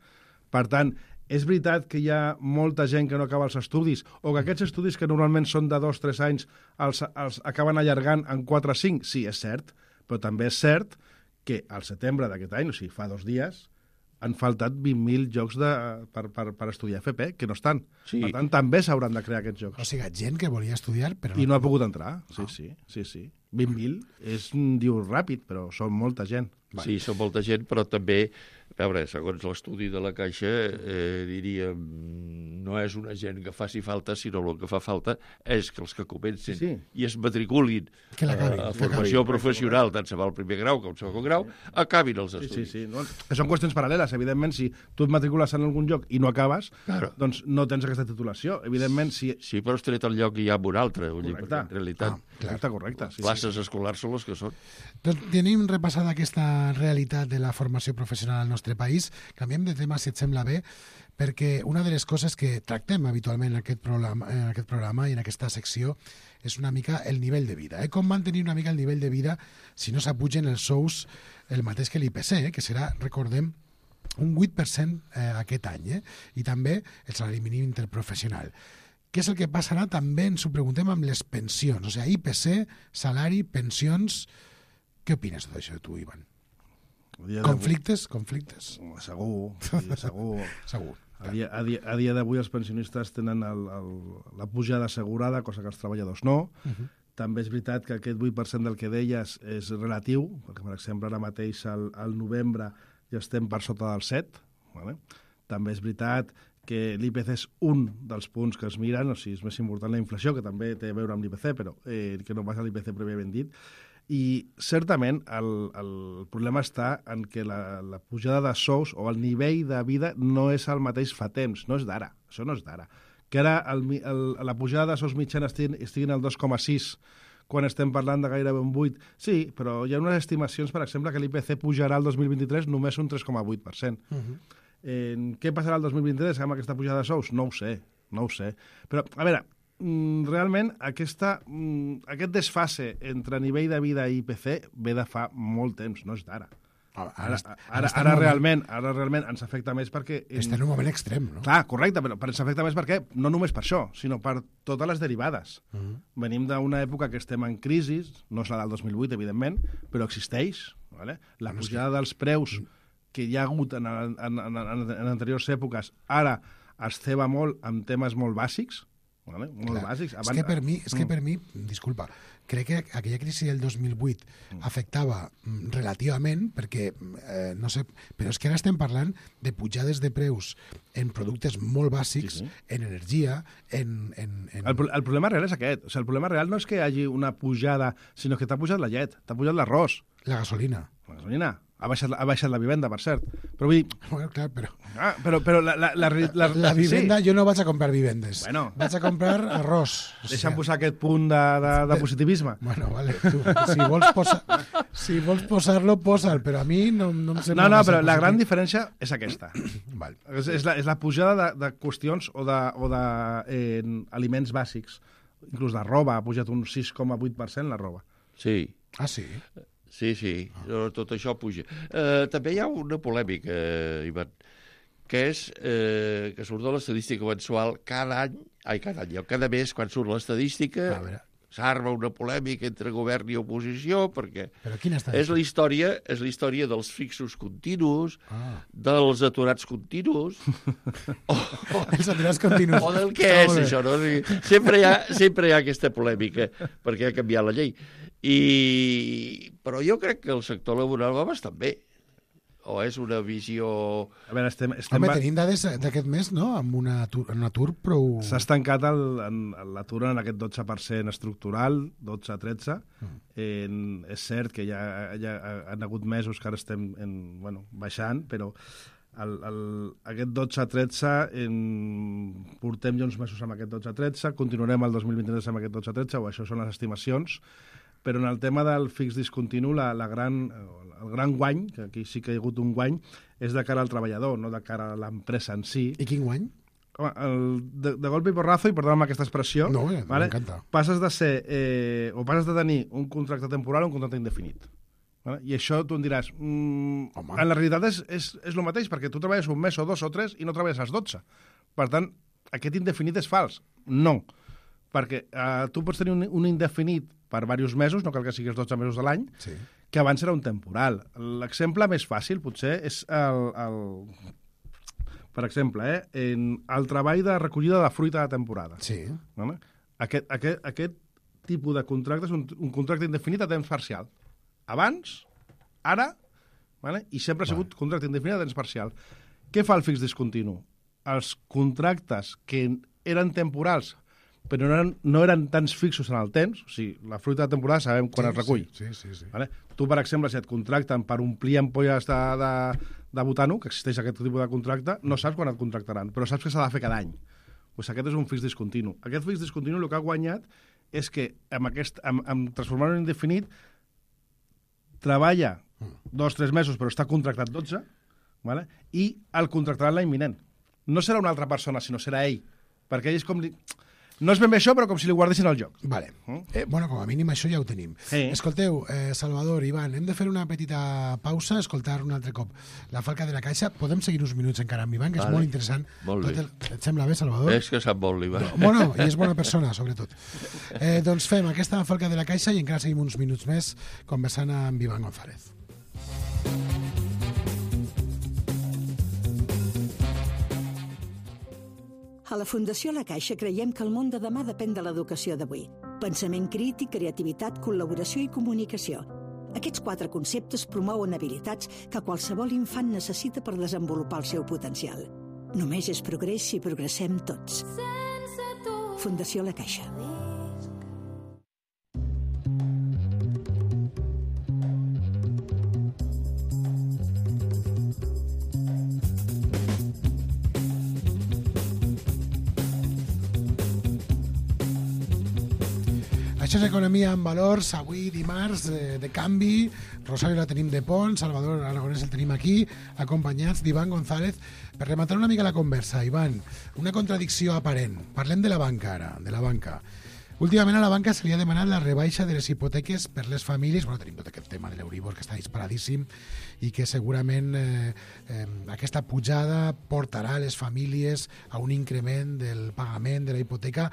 Per tant, és veritat que hi ha molta gent que no acaba els estudis o que aquests estudis que normalment són de dos o tres anys els, els acaben allargant en quatre o cinc? Sí, és cert, però també és cert que al setembre d'aquest any, o sigui, fa dos dies, han faltat vint mil jocs de, per, per, per estudiar F P, que no estan. Sí. Per tant, també s'hauran de crear aquests jocs. O sigui, gent que volia estudiar, però... I no ha pogut entrar, sí, oh. sí, sí, sí. vint mil és, diu, ràpid, però són molta gent. Sí, són molta gent, però també, a veure, segons l'estudi de la Caixa, eh, diríem, no és una gent que faci falta, sinó el que fa falta és que els que comencen sí, sí. i es matriculin a, a formació professional, tant se va al primer grau com al segon grau, acabin els estudis. Sí, sí, sí. No? Que són qüestions paral·leles. Evidentment, si tu et matricules en algun lloc i no acabes, claro. doncs no tens aquesta titulació. Evidentment, si... Sí, però has tret el lloc i hi ha un altre, vull dir, perquè en realitat... Ah, correcte, correcte. Sí, classes sí. escolars són les que són. Doncs tenim repassada aquesta realitat de la formació professional al nostre país. Canviem de tema, si et sembla bé, perquè una de les coses que tractem habitualment en aquest programa, en aquest programa i en aquesta secció és una mica el nivell de vida. Eh? Com mantenir una mica el nivell de vida si no s'apugen els sous el mateix que l'I P C, eh? que serà, recordem, un vuit per cent eh, aquest any, eh? i també el salari mínim interprofessional. què és el que passarà també, ens ho preguntem, amb les pensions? O sigui, I P C, salari, pensions... Què opines d'això, tu, Ivan? Conflictes? Conflictes? Segur, segur. Segur. A dia, a dia, a dia d'avui els pensionistes tenen el, el, la pujada assegurada, cosa que els treballadors no. Uh -huh. També és veritat que aquest vuit per cent del que deies és relatiu, perquè, per exemple, ara mateix al, al novembre ja estem per sota del set. Vale? També és veritat que l'I P C és un dels punts que es miren, o sigui, és més important la inflació, que també té a veure amb l'I P C, però eh, que no passa l'I P C prèviament dit. I certament el, el problema està en que la, la pujada de sous o el nivell de vida no és el mateix fa temps, no és d'ara, això no és d'ara. Que ara el, el, la pujada de sous mitjana estiguin, estiguin al dos coma sis quan estem parlant de gairebé un vuit. Sí, però hi ha unes estimacions, per exemple, que l'I P C pujarà el dos mil vint-i-tres només un tres coma vuit per cent. Uh-huh. eh, què passarà el dos mil vint-i-tres amb aquesta pujada de sous? No ho sé, no ho sé. Però, a veure, realment aquesta, aquest desfase entre nivell de vida i I P C ve de fa molt temps, no és d'ara. Ara, ara, ara, ara, realment, ara realment ens afecta més perquè... Està en un moment extrem, no? Clar, correcte, però ens afecta més perquè no només per això, sinó per totes les derivades. Uh -huh. Venim d'una època que estem en crisi, no és la del dos mil vuit, evidentment, però existeix. Vale? La pujada dels preus que hi ha hagut en, en, en, en, en anteriors èpoques, ara es ceba molt amb temes molt bàsics, vale? Molt Clar. bàsics. Abans... És, que per mi, és que per mi, disculpa, crec que aquella crisi del dos mil vuit afectava relativament, perquè, eh, no sé, però és que ara estem parlant de pujades de preus en productes molt bàsics, sí, sí. en energia, en... en, en... El, el problema real és aquest. O sigui, el problema real no és que hi hagi una pujada, sinó que t'ha pujat la llet, t'ha pujat l'arròs. La gasolina. La gasolina. Ha baixat, ha baixat la vivenda, per cert. Però vull dir... Bueno, clar, però... Ah, però, però la, la, la, la, la vivenda, sí. Jo no vaig a comprar vivendes. Bueno. Vaig a comprar arròs. Deixa'm posar aquest punt de, de, de positivisme. Bueno, vale. Tu, si vols, posa, si vols posar-lo, posa'l, però a mi no, no em sembla... No, no, però la gran diferència és aquesta. Val. És, és, la, és la pujada de, de qüestions o de, o de eh, aliments bàsics. Inclús de roba, ha pujat un sis coma vuit per cent la roba. Sí. Ah, sí? Sí, sí, ah. tot això puja. Eh, també hi ha una polèmica, eh, Ivan, que és eh, que surt de l'estadística mensual cada any, ai, cada any, cada mes, quan surt l'estadística, s'arma una polèmica entre govern i oposició, perquè és la història és la història dels fixos continus, ah. dels aturats continus, o, els aturats continus. O del què és això, no? Sempre hi ha, sempre hi ha aquesta polèmica, perquè ha canviat la llei. I... Però jo crec que el sector laboral va bastant bé. O és una visió... A veure, estem... estem Home, tenim dades d'aquest mes, no?, amb un atur, un atur prou... S'ha estancat l'atur en, en aquest dotze per cent estructural, dotze a tretze. Mm. En, és cert que ja, ja han hagut mesos que ara estem en, bueno, baixant, però el, el, aquest dotze a tretze, en, portem ja uns mesos amb aquest dotze a tretze, continuarem el dos mil vint-i-tres amb aquest dotze a tretze, o això són les estimacions, però en el tema del fix discontinu, la, la gran, el gran guany, que aquí sí que hi ha hagut un guany, és de cara al treballador, no de cara a l'empresa en si. I quin guany? Home, el, de, de golpe i porrazo, i perdona'm aquesta expressió, no, ja, vale? M'encanta. Passes de ser, eh, o passes de tenir un contracte temporal o un contracte indefinit. Vale? I això tu em diràs, mm, en la realitat és, és, és el mateix, perquè tu treballes un mes o dos o tres i no treballes als dotze. Per tant, aquest indefinit és fals. No. Perquè eh, tu pots tenir un, un indefinit per diversos mesos, no cal que siguis dotze mesos de l'any, sí. que abans era un temporal. L'exemple més fàcil, potser, és el... el per exemple, eh, en el treball de recollida de fruita de temporada. Sí. Vale? Aquest, aquest, aquest tipus de contracte és un, un contracte indefinit a temps parcial. Abans, ara, vale? I sempre ha sigut vale. Contracte indefinit a temps parcial. Què fa el fix discontinu? Els contractes que eren temporals però no eren, no eren tants fixos en el temps, o sigui, la fruita de temporada sabem quan sí, es recull. Sí, sí, sí. Vale? Tu, per exemple, si et contracten per omplir ampolles de, de, de butano, que existeix aquest tipus de contracte, no saps quan et contractaran, però saps que s'ha de fer cada any. Pues aquest és un fix discontinu. Aquest fix discontinu el que ha guanyat és que amb, aquest, amb, amb transformar-ho en indefinit treballa dos o tres mesos però està contractat dotze, vale? I el contractaran l'any vinent. No serà una altra persona, sinó serà ell, perquè ell és com... Li... No és ben bé això, però com si li guardessin el joc. Vale. Eh, bueno, com a mínim això ja ho tenim. Sí. Escolteu, eh, Salvador, Ivan, hem de fer una petita pausa, escoltar un altre cop La Falca de la Caixa. Podem seguir uns minuts encara amb Ivan, que vale. és molt interessant. Molt bé. El... Et sembla bé, Salvador? És que sap molt, l'Ivan. No, bueno, i és bona persona, sobretot. Eh, doncs fem aquesta Falca de la Caixa i encara seguim uns minuts més conversant amb Ivan González. A la Fundació La Caixa creiem que el món de demà depèn de l'educació d'avui. Pensament crític, creativitat, col·laboració i comunicació. Aquests quatre conceptes promouen habilitats que qualsevol infant necessita per desenvolupar el seu potencial. Només és progrés si progressem tots. Fundació La Caixa. Això és Economia en Valors, avui dimarts de, de canvi. Rosario la tenim de pont, Salvador Aragonès el tenim aquí, acompanyats d'Ivan González. Per rematar una mica la conversa, Ivan, una contradicció aparent. Parlem de la banca ara, de la banca. Últimament a la banca se li ha demanat la rebaixa de les hipoteques per les famílies. Bueno, tenim tot aquest tema de l'Euribor que està disparadíssim i que segurament eh, eh, aquesta pujada portarà les famílies a un increment del pagament de la hipoteca.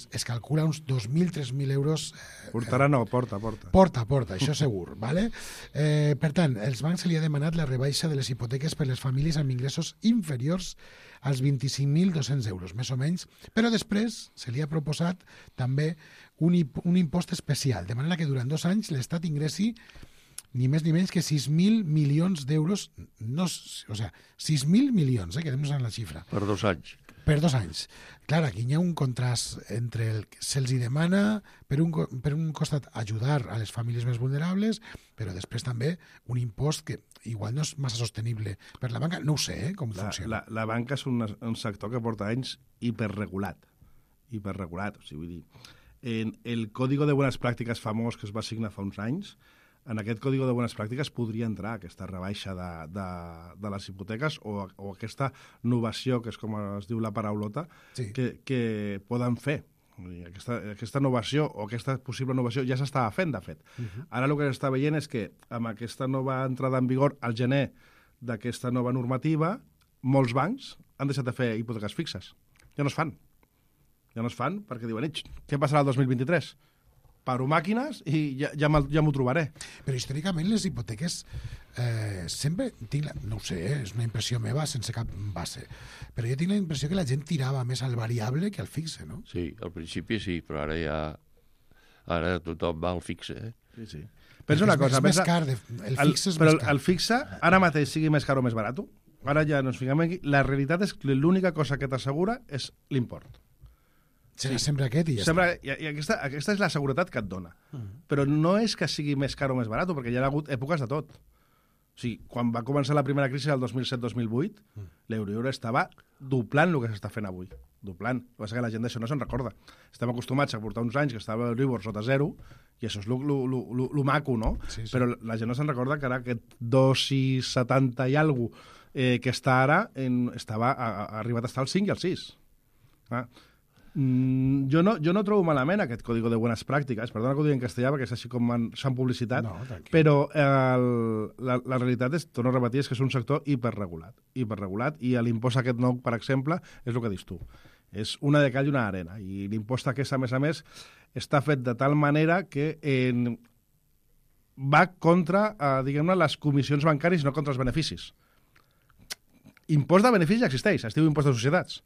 Es calcula uns dos mil, tres mil euros. Eh, Portarà no, porta, porta. Porta, porta, això segur. Vale? Eh, per tant, els bancs se li ha demanat la rebaixa de les hipoteques per les famílies amb ingressos inferiors als vint-i-cinc mil dos-cents euros, més o menys, però després se li ha proposat també un, un impost especial, de manera que durant dos anys l'Estat ingressi ni més ni menys que sis mil milions d'euros, no, o sigui, sis mil milions, eh, quedem-nos en la xifra. Per dos anys. Per dos anys. Clar, aquí hi ha un contrast entre el que se'ls demana, per un, per un costat, ajudar a les famílies més vulnerables, però després també un impost que igual no és massa sostenible per la banca. No ho sé, eh, com la, funciona. La, la banca és un, un sector que porta anys hiperregulat. Hiperregulat. O sigui, vull dir, en el Código de Buenas Pràctiques famós que es va signar fa uns anys, en aquest Código de Buenas Pràctiques podria entrar aquesta rebaixa de, de, de les hipoteques o, o aquesta novació, que és com es diu la paraulota, sí. que, que poden fer. Aquesta, aquesta novació o aquesta possible novació ja s'estava fent, de fet. Uh -huh. Ara el que s'està veient és que amb aquesta nova entrada en vigor al gener d'aquesta nova normativa, molts bancs han deixat de fer hipoteques fixes. Ja no es fan. Ja no es fan perquè diuen, què passarà el dos mil vint-i-tres? Paro màquines i ja, ja m'ho trobaré. Però històricament les hipoteques eh, sempre, tinc la, no ho sé, eh, és una impressió meva sense cap base, però jo tinc la impressió que la gent tirava més al variable que al fixe, no? Sí, al principi sí, però ara ja ara tothom va al fixe, eh? Sí, sí. Pensa una cosa, és pensa, més car, de, el fixe el, és però més car. el fixe ara mateix sigui més car o més barat, ara ja no ens fiquem aquí, la realitat és que l'única cosa que t'assegura és l'import. Serà sí. sempre aquest i ja sempre, està. I, i aquesta, aquesta és la seguretat que et dona. Uh -huh. Però no és que sigui més car o més barat, perquè hi ha hagut èpoques de tot. O sigui, quan va començar la primera crisi del dos mil set dos mil vuit, uh -huh. l'Euribor estava doblant el que s'està fent avui. Doblant. El que passa que la gent d'això no se'n recorda. Estem acostumats a portar uns anys que estava l'Euribor sota zero, i això és el maco, no? Sí, sí. Però la gent no se'n recorda que ara aquest dos i setanta i alguna cosa eh, que està ara, en, estava, ha, ha arribat a estar al cinc i al sis. Ah. Mm, jo, no, jo no trobo malament aquest Código de Buenas Pràctiques, perdona que ho digui en castellà perquè és així com s'han publicitat, no, però el, la, la realitat és, torno a repetir, és que és un sector hiperregulat, hiperregulat i l'impost aquest nou, per exemple, és el que dius tu. És una de cal i una arena, i l'impost aquest, a més a més, està fet de tal manera que en, va contra, eh, diguem-ne, les comissions bancàries i no contra els beneficis. Impost de beneficis ja existeix, es diu impost de societats,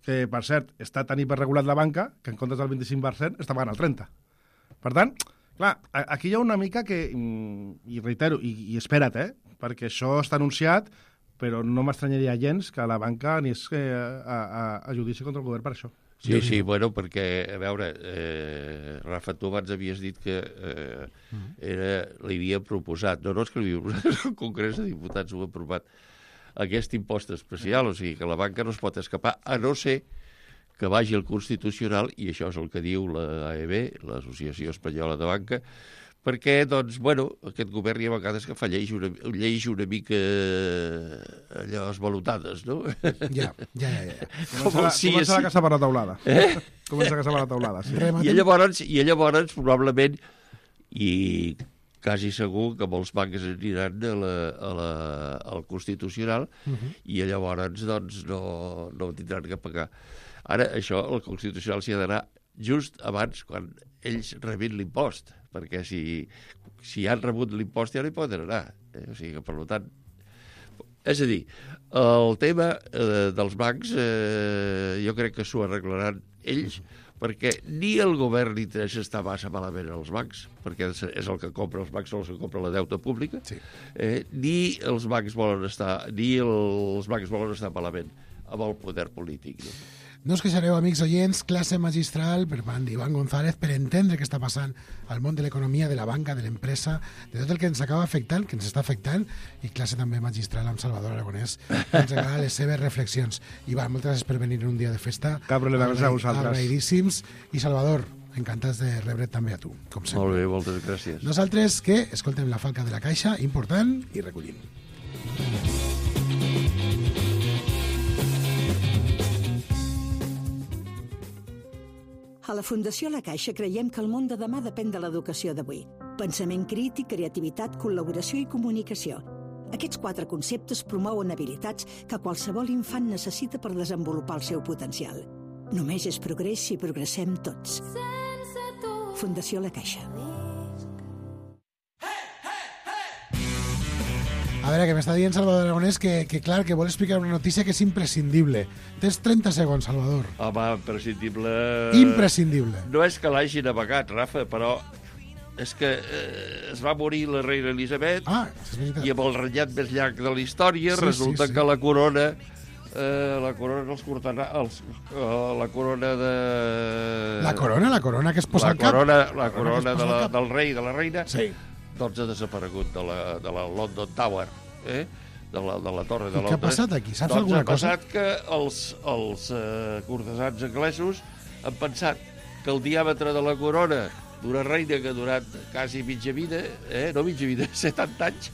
que, per cert, està tan hiperregulat la banca que en comptes del vint-i-cinc per cent està pagant el trenta per cent. Per tant, clar, aquí hi ha una mica que, i reitero, i, i espera't, eh, perquè això està anunciat, però no m'estranyaria gens que la banca anés a, a, a judici contra el govern per això. Sí, sí, bueno, perquè, a veure, eh, Rafa, tu abans havies dit que eh, era, li havia proposat, no, no és que li havia proposat, el Congrés de Diputats ho ha aprovat, aquest impost especial, o sigui que la banca no es pot escapar, a no ser que vagi al Constitucional, i això és el que diu l'A E B, l'Associació Espanyola de Banca, perquè, doncs, bueno, aquest govern hi ha vegades que fa lleis una, lleis una mica allò esvalotades, no? Ja, ja, ja. ja. Comença, la, sí, comença sí. la casa per la taulada. Eh? Comença la casa per la taulada, sí. I llavors, i llavors probablement, i quasi segur que molts bancs aniran a la, a la, al Constitucional uh -huh. i llavors doncs, no, no tindran que pagar. Ara, això, el Constitucional s'hi ha d'anar just abans, quan ells rebin l'impost, perquè si, si han rebut l'impost ja no hi poden anar. Eh? O sigui que, per tant... És a dir, el tema eh, dels bancs eh, jo crec que s'ho arreglaran ells, perquè ni el govern li interessa estar massa malament als bancs, perquè és el que compra els bancs, són els que compra la deuta pública, sí. eh, ni els bancs volen estar, ni els bancs volen estar malament amb el poder polític. No? No us queixareu, amics oients, classe magistral per part d'Ivan González per entendre què està passant al món de l'economia, de la banca, de l'empresa, de tot el que ens acaba afectant, que ens està afectant, i classe també magistral amb Salvador Aragonès, que ens agrada les seves reflexions. Ivan, moltes gràcies per venir en un dia de festa. Cap problema, gràcies a vosaltres. Agraïdíssims. I Salvador, encantats de rebre't també a tu, com sempre. Molt bé, moltes gràcies. Nosaltres, que escoltem la falca de la caixa, important, i recollim. A la Fundació La Caixa creiem que el món de demà depèn de l'educació d'avui. Pensament crític, creativitat, col·laboració i comunicació. Aquests quatre conceptes promouen habilitats que qualsevol infant necessita per desenvolupar el seu potencial. Només és progrés si progressem tots. Fundació La Caixa. A veure, que m'està dient Salvador Aragonès que, que clar, que vol explicar una notícia que és imprescindible. Tens trenta segons, Salvador. Home, imprescindible... Imprescindible. No és que l'hagin amagat, Rafa, però és que eh, es va morir la reina Elisabet ah, i amb el renyat més llarg de la història sí, resulta sí, sí. que la corona eh, la corona dels cortana, els, uh, la corona de... La corona, la corona que es posa la al cap? Corona, la, la corona, corona de la, del rei i de la reina sí. doncs ha desaparegut de la, de la London Tower, eh? de, la, de la torre de Londres. I què ha passat aquí? Saps doncs alguna cosa? Doncs ha passat que els, els eh, cortesans anglesos han pensat que el diàmetre de la corona d'una reina que ha durat quasi mitja vida, eh? no mitja vida, setanta anys,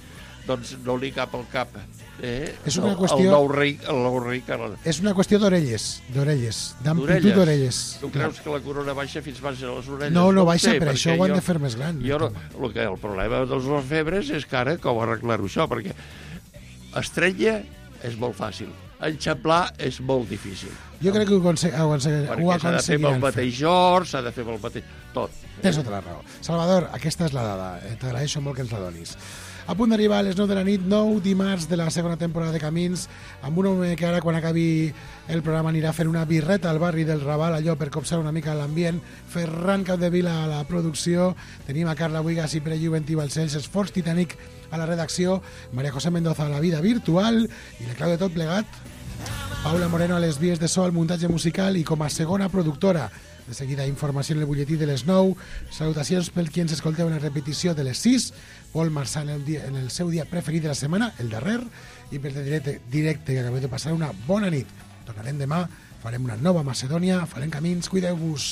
doncs no li cap al cap. Eh? És una el, qüestió... El nou rei, el nou rei Carles. És una qüestió d'orelles, d'orelles, d'amplitud d'orelles. Tu creus que la corona baixa fins baix a les orelles? No, no, no baixa, sé, per això ho han jo, de fer més gran. Jo no, el, que, el problema dels orfebres és que ara com arreglar-ho això, perquè estrella és molt fàcil, enxamplar és molt difícil. Jo crec que ho, conse ho, conse ho perquè s'ha de fer amb el mateix or, s'ha de fer amb el mateix... tot. Tens tota la raó. Salvador, aquesta és la dada. T'agraeixo molt que ens la donis. A punt d'arribar a les nou de la nit, nou dimarts de la segona temporada de Camins, amb un home que ara, quan acabi el programa, anirà a fer una birreta al barri del Raval, allò per copsar una mica l'ambient. Ferran Capdevila a la producció, tenim a Carla Buigas i Pere Juventí Balcells, Esforç Titanic a la redacció, Maria José Mendoza a la vida virtual, i la clau de tot plegat, Paula Moreno a les vies de so, al muntatge musical, i com a segona productora. De seguida, informació en el butlletí de les nou. Salutacions pel qui ens escolteu en la repetició de les sis. Pol Marçà en el, dia, en el seu dia preferit de la setmana, el darrer. I per el directe, directe que acabeu de passar una bona nit. Tornarem demà, farem una nova Macedònia, farem camins, cuideu-vos.